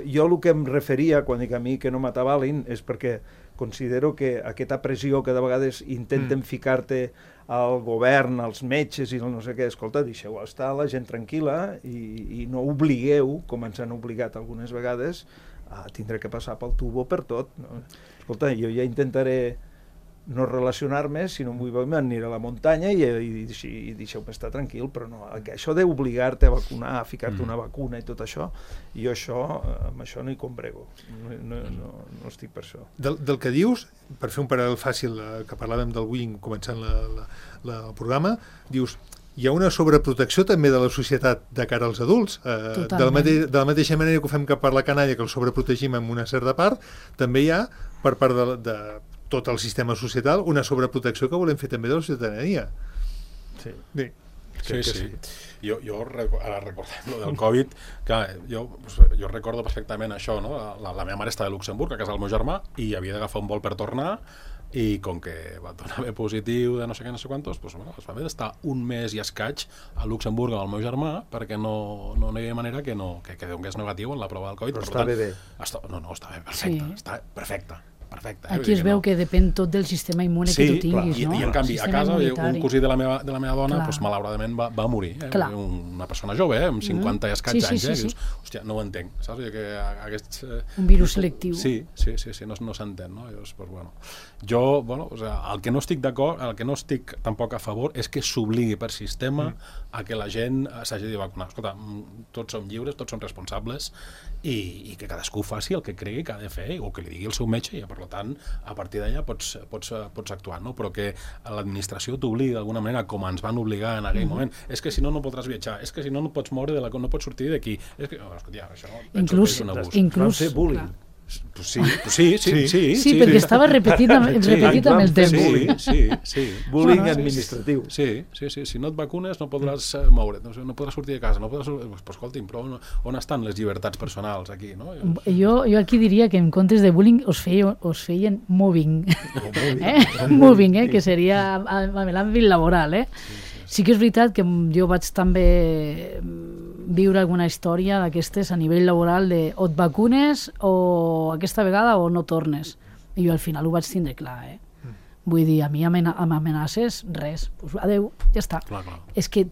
Jo el que em referia quan dic a mi que no m'atabalin és perquè considero que aquesta pressió que de vegades intenten ficar-te al govern, als metges i no sé què, escolta, deixeu estar la gent tranquil·la i no obligueu, com ens han obligat algunes vegades, a tindre que passar pel tubo per tot. No? Escolta, jo ja intentaré no relacionar-me, si no em vull veure, aniré a la muntanya i deixeu-me estar tranquil, però no, això d'obligar-te a vacunar, a ficar-te una vacuna i tot això, jo amb això no hi combrego, no estic per això. Del que dius, per fer un paral·lel fàcil, que parlàvem del bullying començant el programa, dius, hi ha una sobreprotecció també de la societat de cara als adults. De la mateixa manera que ho fem cap per la canalla, que el sobreprotegim en una certa part, també hi ha, per part de tot el sistema societal, una sobreprotecció que volem fer també de la ciutadania. Sí. Jo ara recordem lo del Covid, que jo recordo perfectament això, no? La meva mare estava a Luxemburg, a casa del meu germà, i havia d'agafar un vol per tornar, i com que va donar bé positiu de no sé què, no sé quantos, es va haver d'estar un mes i escaig a Luxemburg amb el meu germà, perquè no hi havia manera que donés negatiu en la prova del Covid. Però estava bé. No, està bé, perfecte, està perfecte. Aquí es veu que depèn tot del sistema immune que tu tinguis, no? I en canvi, a casa, un cosí de la meva dona, malauradament va morir. Una persona jove, amb 50 i escaig anys, i dius, hòstia, no ho entenc, saps? Un virus selectiu. Sí, no s'entén, no? Jo, el que no estic d'acord, el que no estic tampoc a favor, és que s'obligui per sistema a que la gent s'hagi de vacunar. Escolta, tots som lliures, tots som responsables, i que cadascú faci el que cregui que ha de fer, o que li digui el seu metge, i per tant, a partir d'allà pots actuar, no? Però que l'administració t'obligui d'alguna manera, com ens van obligar en aquell moment, és que si no podràs viatjar, és que si no pots moure no pots sortir d'aquí, és que, això penso que és un abús. Van fer bullying. Sí, perquè estava repetit amb el temps. Sí. Bullying administratiu. Sí. Si no et vacunes no podràs moure't, no podràs sortir de casa, no podràs... Però escolti'm, però on estan les llibertats personals aquí, no? Jo aquí diria que en comptes de bullying us feien mobbing. Mobbing, que seria a l'àmbit laboral, Sí que és veritat que jo vaig també viure alguna història d'aquestes a nivell laboral de o et vacunes o aquesta vegada o no tornes. I jo al final ho vaig tindre clar, Vull dir, a mi amb amenaces, res. Adeu, ja està. Clar. És que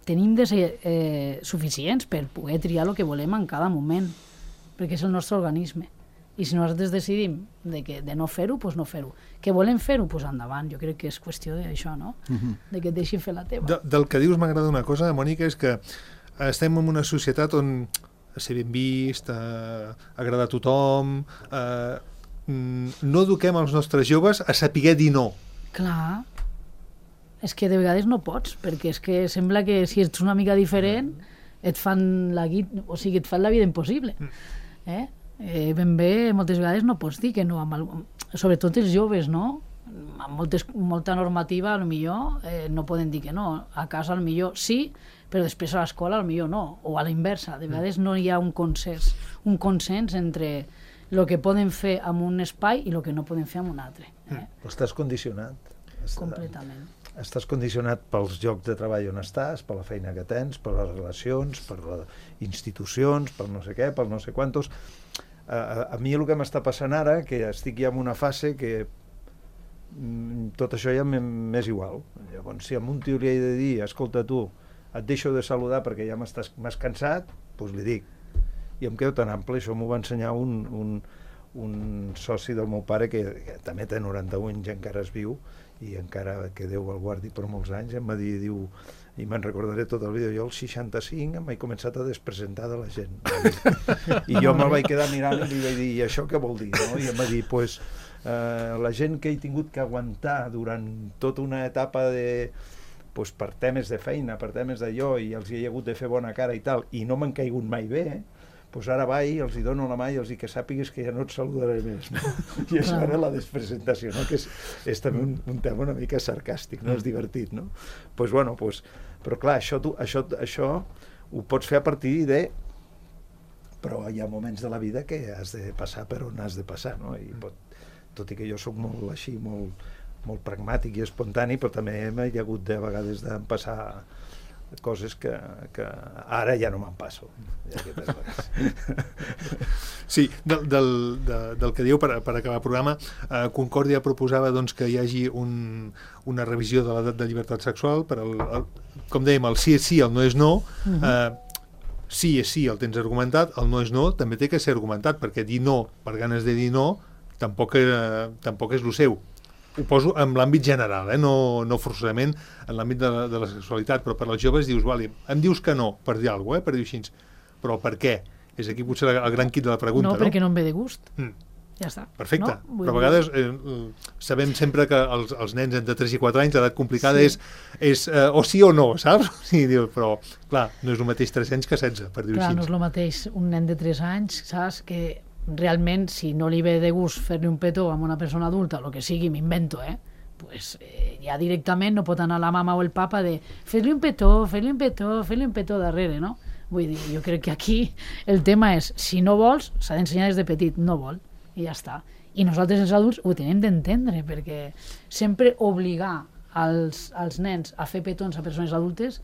tenim de ser suficients per poder triar el que volem en cada moment, perquè és el nostre organisme. I si nosaltres decidim de no fer-ho, doncs no fer-ho. Que volem fer-ho, doncs endavant. Jo crec que és qüestió d'això, no? De que et deixin fer la teva. Del que dius m'agrada una cosa, Mònica, és que estem en una societat on ser ben vist, agradar a tothom, no eduquem els nostres joves a saber dir no. Clar, és que de vegades no pots, perquè és que sembla que si ets una mica diferent et fan la vida impossible. Ben bé, moltes vegades no pots dir que no, sobretot els joves, no? Amb molta normativa, millor no poden dir que no. A casa millor sí, però després a l'escola millor no, o a la inversa. De vegades no hi ha un consens entre el que poden fer en un espai i el que no poden fer en un altre. Estàs condicionat. Completament. Estàs condicionat pels llocs de treball on estàs, per la feina que tens, per les relacions, per les institucions, per no sé què, per no sé quantos. A mi el que m'està passant ara, que estic ja en una fase que tot això ja m'és igual. Llavors, si a un tio li he de dir, escolta tu, et deixo de saludar perquè ja m'has cansat, doncs li dic. I em quedo tan ample, això m'ho va ensenyar un soci del meu pare que també té 91 anys i encara es viu, i encara que Déu el guardi per molts anys, em va dir, diu, i me'n recordaré tot el vídeo, jo als 65 em vaig començar a despresentar de la gent. I jo me'l vaig quedar mirant i li vaig dir, i això què vol dir? No? I em va dir, pues, la gent que he tingut que aguantar durant tota una etapa pues, per temes de feina, per temes d'allò, i els hi he hagut de fer bona cara i tal, i no m'han caigut mai bé, pues ara vaig, els hi dono la mà i els dic que sàpigues que ja no et saludaré més. No? I això era la despresentació, no? Que és també un tema una mica sarcàstic, no? És divertit, no? Pues, bueno, pues, però clar, això ho pots fer a partir de... Però hi ha moments de la vida que has de passar per on has de passar, no? I tot i que jo sóc molt així, molt pragmàtic i espontani, però també m'he hagut de vegades de passar coses que ara ja no me'n passo. Sí, del que diu per acabar el programa, Concòrdia proposava doncs, que hi hagi una revisió de l'edat de llibertat sexual per com dèiem, el sí és sí, el no és no. Sí és sí, el tens argumentat, el no és no també té que ser argumentat, perquè dir no per ganes de dir no tampoc és el seu. Ho poso en l'àmbit general, no forçosament en l'àmbit de la sexualitat, però per als joves dius, vale, em dius que no per dir alguna cosa, per dir així, però per què? És aquí potser el gran quid de la pregunta, no? No, perquè no em ve de gust. Ja està. Perfecte, no? Però a vegades sabem sempre que els nens entre 3 i 4 anys, l'edat complicada és o sí o no, saps? Sí, però, clar, no és el mateix 3 anys que 16, per dir-ho així. Clar, no és el mateix un nen de 3 anys, saps, que realment, si no li ve de gust fer-li un petó amb una persona adulta, el que sigui, m'invento, pues, ja directament no pot anar la mama o el papa de fer-li un petó darrere, no? Vull dir, jo crec que aquí el tema és, si no vols, s'ha d'ensenyar des de petit, no vol, i ja està. I nosaltres els adults ho tenim d'entendre, perquè sempre obligar els nens a fer petons a persones adultes,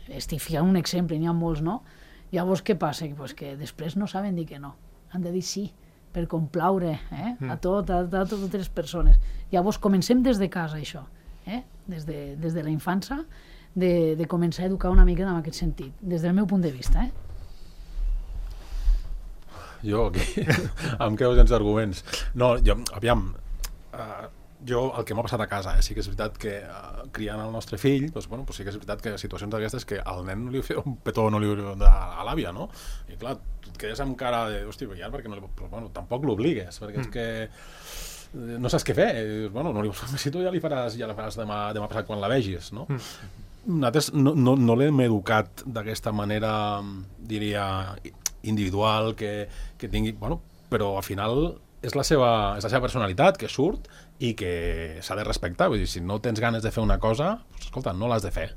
estic ficant un exemple, n'hi ha molts, no? Llavors què passa? Pues que després no saben dir que no. Han de dir sí, per complaure a totes les persones. Llavors comencem des de casa, això, des de la infància, de començar a educar una mica en aquest sentit, des del meu punt de vista. Jo aquí em quedo sense arguments. No, aviam, jo el que m'ha passat a casa, sí que és veritat que criant el nostre fill, doncs, bueno, sí que és veritat que situacions d'aquestes que al nen no li fa un petó no li a l'àvia, no? I clar, tu et quedes amb cara de, hòstia, ja, perquè no li... Però bueno, tampoc l'obligues, perquè és que no saps què fer. Bueno, no li vols fer, si tu ja li faràs demà passat quan la vegis, no? Nosaltres no l'hem educat d'aquesta manera, diria, individual, que tingui... Bueno, però al final és la seva personalitat que surt i que s'ha de respectar. Vull dir, si no tens ganes de fer una cosa, doncs, escolta, no l'has de fer.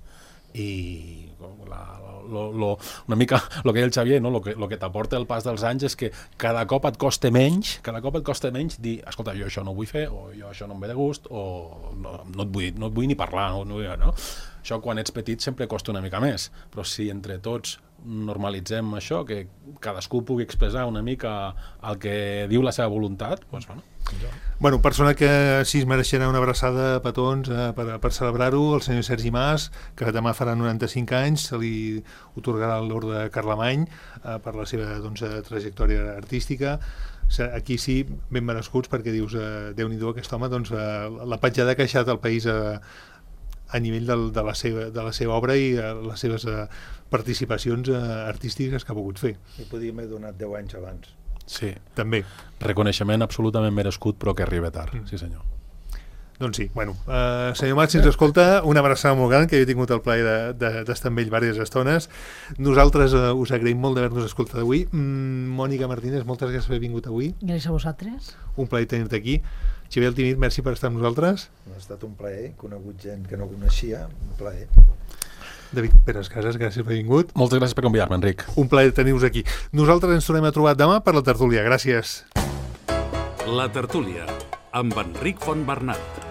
I una mica el que deia el Xavier, no? Lo que t'aporta el pas dels anys és que cada cop et costa menys dir, escolta, jo això no ho vull fer, o jo això no em ve de gust, o no et vull ni parlar, no? Això quan ets petit sempre costa una mica més, però si entre tots normalitzem això, que cadascú pugui expressar una mica el que diu la seva voluntat, doncs bueno. Bueno, persona que sí es mereixerà una abraçada a petons per celebrar-ho, el senyor Sergi Mas, que demà farà 95 anys, se li otorgarà l'Orde Carlemany per la seva trajectòria artística. Aquí sí, ben merescuts, perquè dius, Déu-n'hi-do, aquest home, la petjada que ha deixat el país a nivell de la seva obra i les seves participacions artístiques que ha pogut fer. I podíem haver donat 10 anys abans. Sí. També. Reconeixement absolutament merescut, però que arriba tard, sí senyor. Doncs sí, bueno, senyor Mat, si ens escolta, una abraçada molt gran, que jo he tingut el plaer d'estar amb ell diverses estones. Nosaltres us agraïm molt d'haver-nos escoltat avui. Mònica Martínez, moltes gràcies per haver vingut avui. Gràcies a vosaltres. Un plaer tenir-te aquí. Xavier Altimir, merci per estar amb nosaltres. Ha estat un plaer, he conegut gent que no coneixia, un plaer. David Pérez Casas, gràcies per haver vingut. Moltes gràcies per convidar-me, Enric. Un plaer tenir-vos aquí. Nosaltres ens tornem a trobar demà per la tertúlia. Gràcies. La tertúlia, amb Enric Fontbernat.